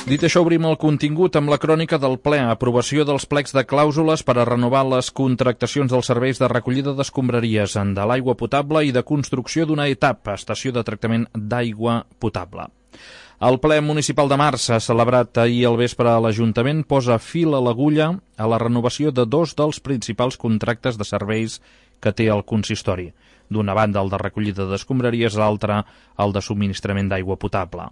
Dit això, obrim el contingut amb la crònica del ple. Aprovació dels plecs de clàusules per a renovar les contractacions dels serveis de recollida d'escombraries de l'aigua potable i de construcció d'una etapa, estació de tractament d'aigua potable. El ple municipal de març, celebrat ahir al vespre a l'Ajuntament, posa fil a l'agulla a la renovació de dos dels principals contractes de serveis que té el consistori. D'una banda, el de recollida d'escombraries, l'altra, el de subministrament d'aigua potable.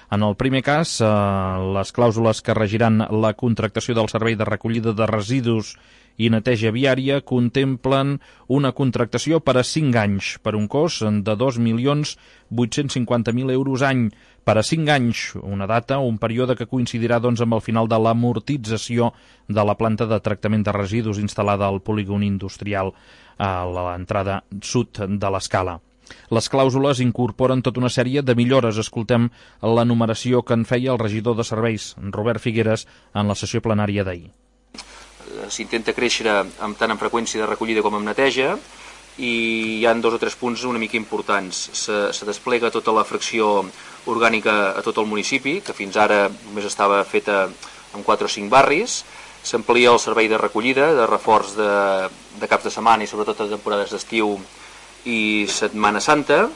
En el primer cas, les clàusules que regiran la contractació del servei de recollida de residus i neteja viària contemplen una contractació per a 5 anys, per un cost de 2.850.000 euros any, per a 5 anys, una data, un període que coincidirà amb el final de l'amortització de la planta de tractament de residus instal·lada al polígon industrial a l'entrada sud de l'Escala. Les clàusules incorporen tota una sèrie de millores. Escoltem l'enumeració que en feia el regidor de serveis, Robert Figueres, en la sessió plenària d'ahir. S'intenta créixer tant en freqüència de recollida com en neteja i hi ha 2 o 3 punts una mica importants. Se desplega tota la fracció orgànica a tot el municipi, que fins ara només estava feta en 4 o 5 barris. S'amplia el servei de recollida, de reforç de caps de setmana i sobretot de temporades d'estiu i Setmana Santa.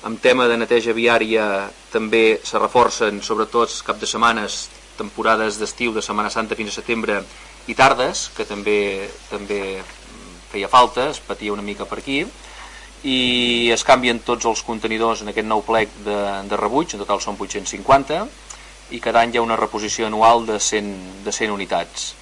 En tema de neteja viària també se reforcen sobretot cap de setmanes, temporades d'estiu de Setmana Santa fins a setembre i tardes, que també feia falta, es patia una mica per aquí, i es canvien tots els contenidors en aquest nou plec de rebuig, en total són 850, i cada any hi ha una reposició anual de 100 unitats.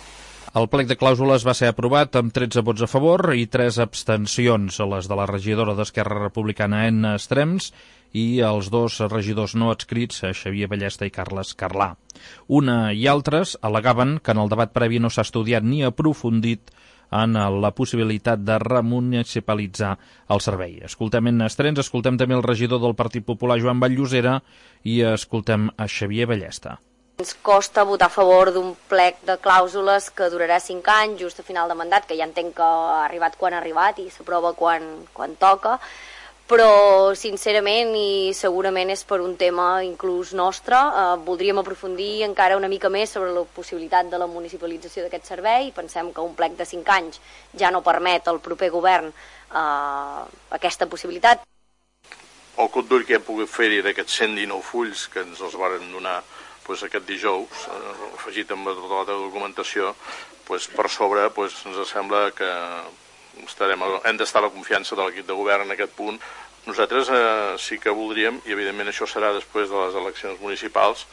El plec de clàusules va ser aprovat amb 13 vots a favor i 3 abstencions, les de la regidora d'Esquerra Republicana, Enna Estrems, i els 2 regidors no adscrits, Xavier Ballesta i Carles Carlà. Una i altres al·legaven que en el debat previ no s'ha estudiat ni aprofundit en la possibilitat de remunicipalitzar el servei. Escoltem Enna Estrems, escoltem també el regidor del Partit Popular, Joan Batllosera, i escoltem a Xavier Ballesta. Ens costa votar a favor d'un plec de clàusules que durarà 5 anys, just a final de mandat, que ja entenc que ha arribat quan ha arribat i s'aprova quan toca, però sincerament i segurament és per un tema inclús nostre, voldríem aprofundir encara una mica més sobre la possibilitat de la municipalització d'aquest servei. Pensem que un plec de 5 anys ja no permet al proper govern aquesta possibilitat. El cop d'ull que hem pogut fer-hi d'aquests 119 fulls que ens els varen donar aquest dijous, afegit amb tota la documentació, per sobre ens sembla que hem d'estar a la confiança de l'equip de govern en aquest punt. Nosaltres sí que voldríem, i evidentment això serà després de les eleccions municipals,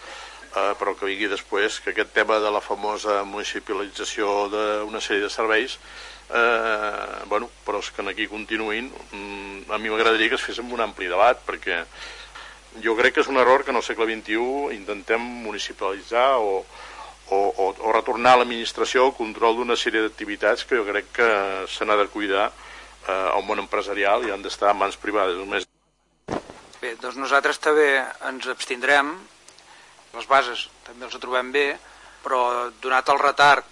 però que vingui després, que aquest tema de la famosa municipalització d'una sèrie de serveis, però és que aquí continuïn. A mi m'agradaria que es fes amb un ampli debat, perquè jo crec que és un error que en el segle XXI intentem municipalitzar o retornar a l'administració el control d'una sèrie d'activitats que jo crec que se n'ha de cuidar al món empresarial i han d'estar en mans privades només. Bé, doncs nosaltres també ens abstindrem, les bases també els trobem bé, però donat el retard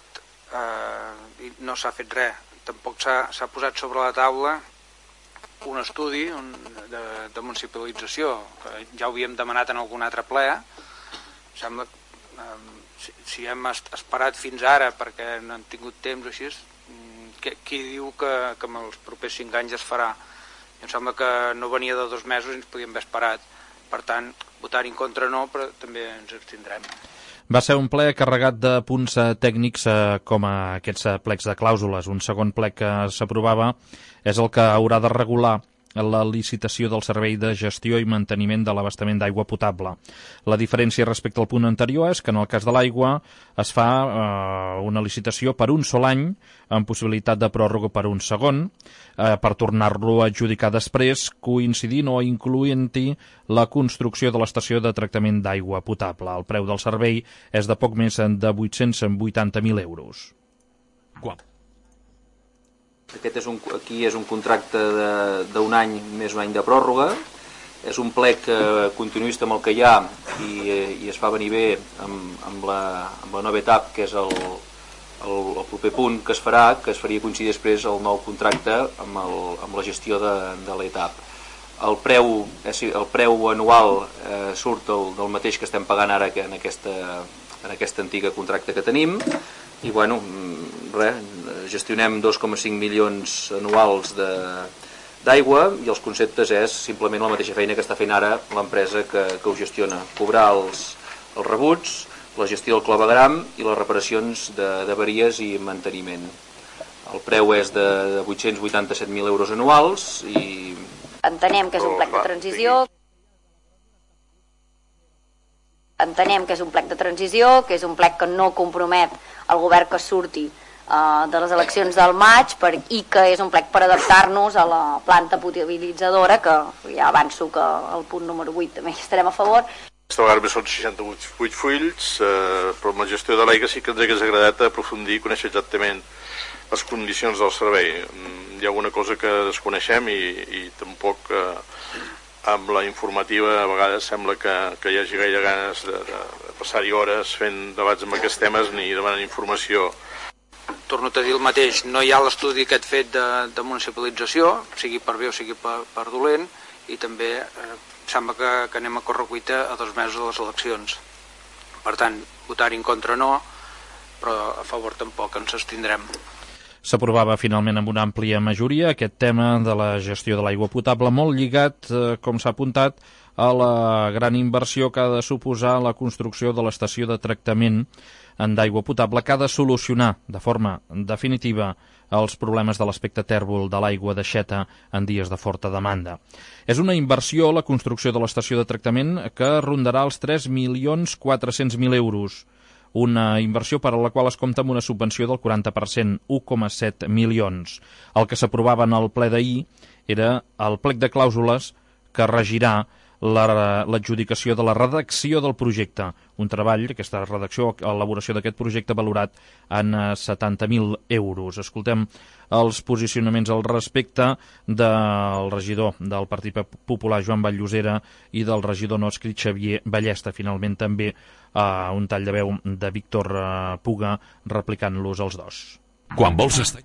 no s'ha fet res, tampoc s'ha posat sobre la taula un estudi de municipalització, que ja ho havíem demanat en algun altre ple. Sembla que si hem esperat fins ara perquè no han tingut temps o així, qui diu que en els propers 5 anys es farà? Em sembla que no venia de 2 mesos i ens podíem haver esperat. Per tant, votar en contra no, però també ens abstindrem. Va ser un ple carregat de punts tècnics com aquests plecs de clàusules. Un segon plec que s'aprovava és el que haurà de regular la licitació del servei de gestió i manteniment de l'abastament d'aigua potable. La diferència respecte al punt anterior és que en el cas de l'aigua es fa una licitació per un sol any amb possibilitat de pròrroga per un segon per tornar-lo a adjudicar després, coincidint o incloent-hi la construcció de l'estació de tractament d'aigua potable. El preu del servei és de poc més de 880.000 euros. Aquí és un contracte d'un any més un any de pròrroga. És un plec continuista amb el que hi ha i es fa venir bé amb la nova etapa, que és el proper punt que es faria coincidir després el nou contracte amb la gestió de l'etapa. El preu anual surt del mateix que estem pagant ara en aquesta en aquest antic contracte que tenim, i bueno, gestionem 2,5 milions anuals d'aigua, i els conceptes és simplement la mateixa feina que està fent ara l'empresa que ho gestiona, cobrar els rebuts, la gestió del clavegram i les reparacions d'avaries i manteniment. El preu és de 887.000 euros anuals i... Entenem que és un plec de transició, que és un plec que no compromet el govern que surti de les eleccions del maig i que és un plec per adaptar-nos a la planta potabilitzadora, que ja avanço que el punt número 8 també hi estarem a favor. Aquesta vegada són 68 fulls, però amb la gestió de l'aigua sí que ens hagués agradat aprofundir i conèixer exactament les condicions del servei. Hi ha alguna cosa que desconeixem i tampoc amb la informativa a vegades sembla que hi hagi gaire ganes de passar-hi hores fent debats amb aquests temes ni demanant informació. Torno a dir el mateix, no hi ha l'estudi aquest fet de municipalització, sigui per bé o sigui per dolent, i també sembla que anem a correcuita a 2 mesos de les eleccions. Per tant, votar-hi en contra no, però a favor tampoc, ens abstindrem. S'aprovava finalment amb una àmplia majoria aquest tema de la gestió de l'aigua potable, molt lligat, com s'ha apuntat, a la gran inversió que ha de suposar la construcció de l'estació de tractament d'aigua potable, que ha de solucionar de forma definitiva els problemes de l'aspecte tèrbol de l'aigua d'aixeta en dies de forta demanda. És una inversió, la construcció de l'estació de tractament, que rondarà els 3.400.000 euros. Una inversió per a la qual es compta amb una subvenció del 40%, 1,7 milions. El que s'aprovava en el ple d'ahir era el plec de clàusules que regirà l'adjudicació de la redacció del projecte. Un treball, aquesta redacció, elaboració d'aquest projecte valorat en 70.000 euros. Escoltem els posicionaments al respecte del regidor del Partit Popular, Joan Vall-llosera, i del regidor no escrit, Xavier Ballesta. Finalment també un tall de veu de Víctor Puga replicant-los els dos. Quan vols estar...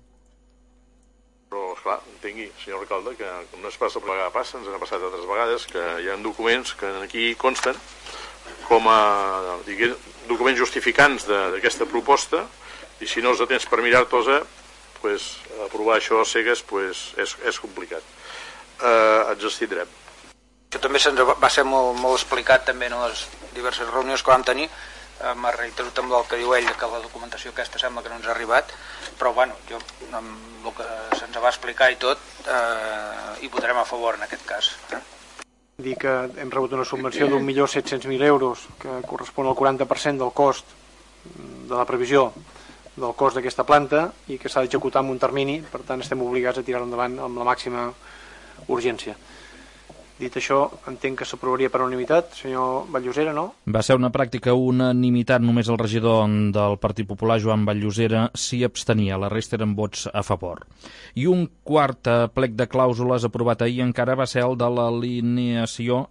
Però, esclar, entengui, senyor alcalde, que no és pas la vegada passa, ens ha passat altres vegades, que hi ha documents que aquí consten com a documents justificants d'aquesta proposta, i si no els tens per mirar-te-los, pues, aprovar això a cegues pues, és complicat. Ens abstindrem. Això també va ser molt explicat també en les diverses reunions que vam tenir. M'ha reiterat amb el que diu ell, que la documentació aquesta sembla que no ens ha arribat, però bueno, jo amb el que se'ns va explicar i tot hi votarem a favor en aquest cas. Dir que hem rebut una subvenció d'1.700.000 euros, que correspon al 40% del cost de la previsió del cost d'aquesta planta i que s'ha d'executar en un termini, per tant estem obligats a tirar endavant amb la màxima urgència. Dit això, entenc que s'aprovaria per unanimitat, senyor Vall-llosera, no? Va ser una pràctica unanimitat, només el regidor del Partit Popular, Joan Vall-llosera, s'hi abstenia, la resta eren vots a favor. I un quart plec de clàusules aprovat ahir encara va ser el de l'alienació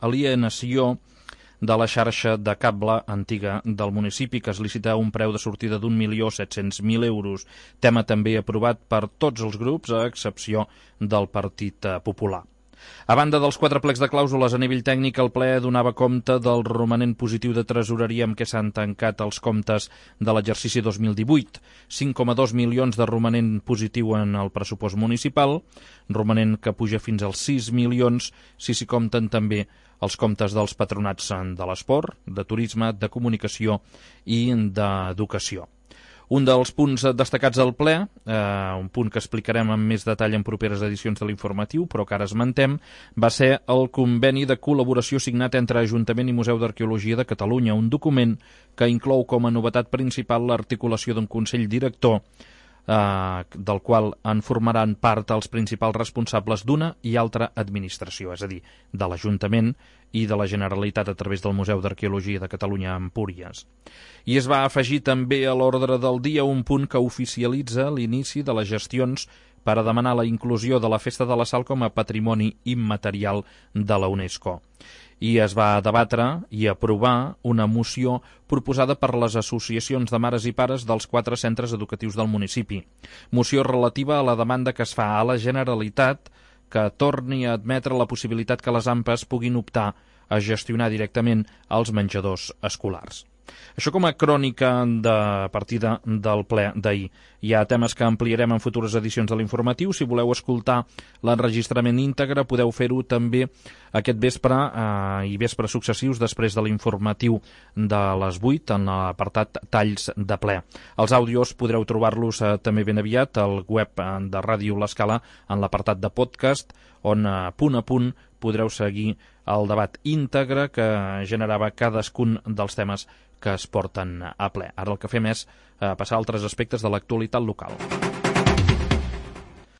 de la xarxa de cable antiga del municipi, que es licita un preu de sortida d'1.700.000 euros, tema també aprovat per tots els grups, a excepció del Partit Popular. A banda dels 4 plecs de clàusules a nivell tècnic, el ple donava compte del romanent positiu de tresoreria amb què s'han tancat els comptes de l'exercici 2018. 5,2 milions de romanent positiu en el pressupost municipal, romanent que puja fins als 6 milions si s'hi compten també els comptes dels patronats de l'esport, de turisme, de comunicació i d'educació. Un dels punts destacats del ple, un punt que explicarem amb més detall en properes edicions de l'informatiu, però que ara esmentem, va ser el conveni de col·laboració signat entre Ajuntament i Museu d'Arqueologia de Catalunya, un document que inclou com a novetat principal l'articulació d'un Consell Director del qual en formaran part els principals responsables d'una i altra administració, és a dir, de l'Ajuntament i de la Generalitat a través del Museu d'Arqueologia de Catalunya a Empúries. I es va afegir també a l'ordre del dia un punt que oficialitza l'inici de les gestions per a demanar la inclusió de la Festa de la Sal com a patrimoni immaterial de la UNESCO. I es va debatre i aprovar una moció proposada per les associacions de mares i pares dels 4 centres educatius del municipi. Moció relativa a la demanda que es fa a la Generalitat que torni a admetre la possibilitat que les AMPAs puguin optar a gestionar directament els menjadors escolars. Això com a crònica de partida del ple d'ahir. Hi ha temes que ampliarem en futures edicions de l'informatiu. Si voleu escoltar l'enregistrament íntegre, podeu fer-ho també aquest vespre i vespres successius després de l'informatiu de les 8 en l'apartat Talls de ple. Els àudios podreu trobar-los també ben aviat al web de Ràdio L'Escala en l'apartat de podcast, on punt a punt podreu seguir el debat íntegre que generava cadascun dels temes que es porten a ple. Ara el que fem és passar a altres aspectes de l'actualitat local.